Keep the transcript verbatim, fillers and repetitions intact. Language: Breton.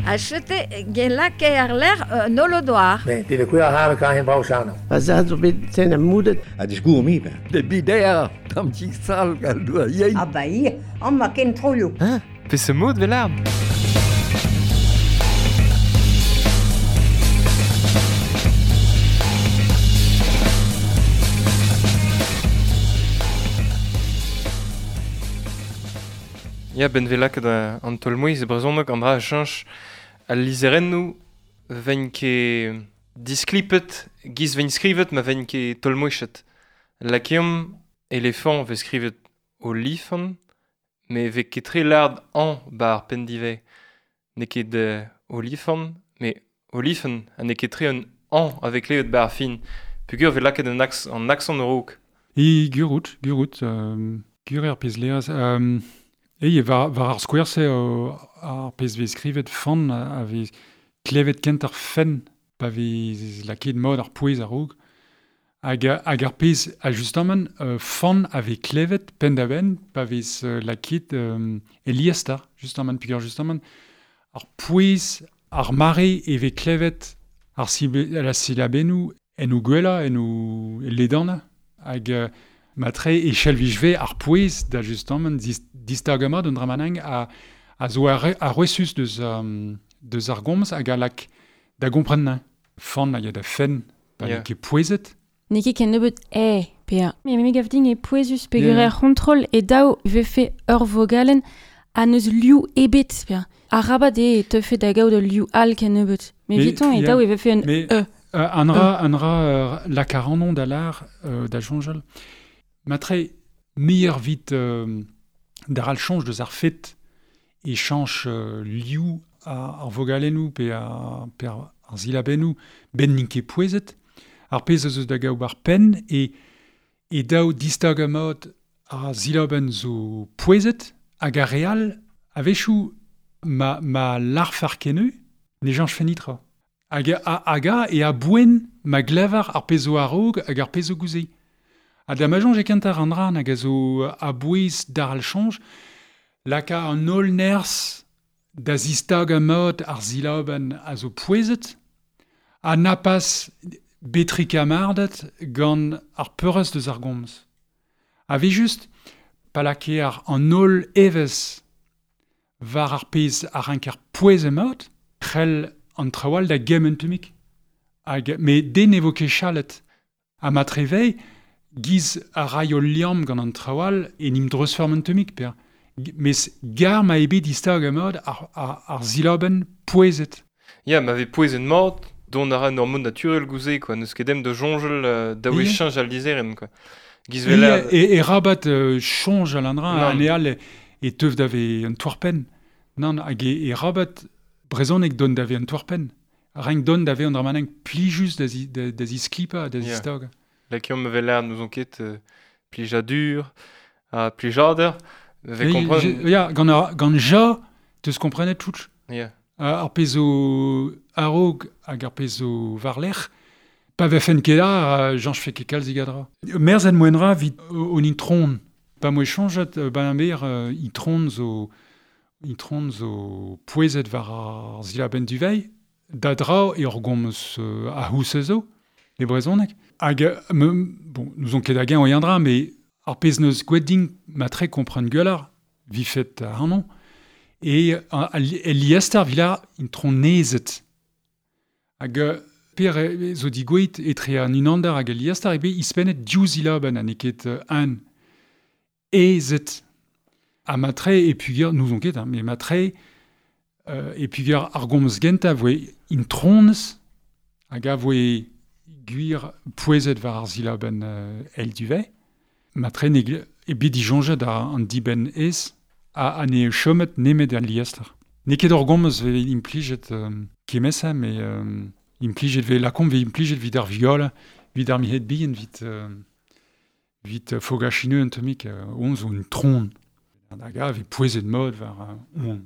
A chete gen lake ar ler euh, nolodoar. Ne, de kuer har kan hen brau. Pa za zo bet ten a moudet. A disgour mi ben. De bider, tam ti sal gal doa yein. Ah ba i, an ma ken troio. Hein? Pe se mod vel arm? Ya, ben velak da an tolmouiz e brezhoneg an dra a cheñch al lizerennoù ven ket disklipet, giz ven skrivet ma ven ket tolmouichet. Lakeomp elefant vez skrivet olifant, me vez ket tre lard an ba ar penn divez. N'eo ket euh, olifant, me olifen, ha n'eo ket tre un an avec levet ba ar fin. Pugur vez lakaet an aks, an accent raok. E gurout, gurout, euh, gur ar pezh leaz. Euh, e war, war ar skouer se euh, ar pezh vez skrivet fan a vez klevet kent ar fenn pa vez lakaet mod ar pouez a-raok. Hag, hag ar pezh, a justement, euh, fan a vez klevet penn da benn pa vez euh, lakaet euh, e liestar, justement, pugur justement, ar pouez ar mare e vez klevet ar sibe, la silabennoù en o gwella, en o ledana. Hag euh, matre e chelvijve ar pouez da justement dis, distagamad un dramanang a, a zo ar, ar resus deus, um, deus ar gomz hag a lak da gompren fan hag a da fenn pa Yeah. yeah. ket pouezet. N'eo ket ken nebeut e, pea. Me me gav din e pouezus peogwir Yeah. er c'hontrol e daou vefe ur vogalen a neus liou ebet, pea. Arabat eo e teufe da gaout ul liou all ken nebeut. Me Mais, viton e yeah. daou e vefe un Mais e. euh, an ra, an ra euh, lakarannon da lar euh, da jonjal. Matre meilleur vit euh, d'ar al change deus ar fet e chanch euh, liou a, ar vogalennoù pe ar, pe ar, ar zilabennoù ben n'int ket pouezet. Ar pezh eus da gaout ar penn e, e daou distag mod ar zilabenn zo pouezet hag ar real a-wechoù ma, ma larf ar keneu ne chanch fenitra. Hag a, hag a e a boen ma glevar ar pezh zo a-raok hag ar pezh zo gouze. Ha da ma soñj e kentar an dra hag a zo a bouez d'ar al chanj, laka an holl nerzh da zistag a mod ar zilabenn a zo pouezet, ha na pas betrik amardet gant ar peurrest deus ar gomz. A vez just, pa lakaer ar an holl evezh war ar pezh ar rank ar pouez emaot, c'hell an traoù all da gemm un tammig. Hag, me den e vo ket chalet. Ha ma trevei, giz a ray o liamm gant an traoù all e nim dreuzferm un tammig, per. Mes gar ma eo bet distag emaot ar, ar, ar zilabenn pouezet. Ya, ma vez pouezet mat, dont a ra un hormone naturel gouze, quoi. N'eus ket dem de jonjel euh, daou e Yeah. cheñch al lizherenn, quoi. Giz E, vel ar... e, e rabat euh, chonj al an dra, Nann. an eal e, e teuf dave un toarpenn. Nann, hag e, e rabat brezhoneg don dave un toarpenn. Renk don dave an dramaneng plijus da zi, da, da zisklipa, da Yeah. zistag. Lakeomp me vel ar nous on ket euh, plijadur, ha plijader, me vez E, kompren... je- ya, gant, ar, gant ja, teus komprenet touch. Ya. Ar pezh zo a-raok hag ar pezh zo war-lerc'h, pa vefen ket ar, janch fe ket kalz gadra. Merz en moenra vit o, on intron. Pa moe chanjet, euh, ba ber euh, intron zo, intron zo pouezet war ar zilabenn duvei, da dra e ur gomz euh, a house zo, e brezhoneg. Hag, euh, me, bon, nous on ket hag o yandra, me ar pezh neus gwet din ma tre kompren gwelloc'h, vifet ar anon, e e liester vila intron nezet. Hag euh, per e, zo digouet etre an unander hag al liester ebe ispennet div zilabenn ha n'eo ket euh, an ezet. Ha matre e pugur, nous on ket, hein, mais matre euh, e pugur ar gomz genta voe intronez hag a voe gwir pouezet war ar zilabenn euh, el duvet. Matre ne e bet dijonjet a an dibenn ez a, a ne chomet nemet al liester. N'eo ket ur gomz ve implijet euh, kemesa, mais euh, implijet ve lakomp ve implijet vit ar viol, vit ar mihet bihan, vit, euh, vit euh, fogachineu un tammig, euh, on zo un tron. Hag a ve pouezet mod war euh, on.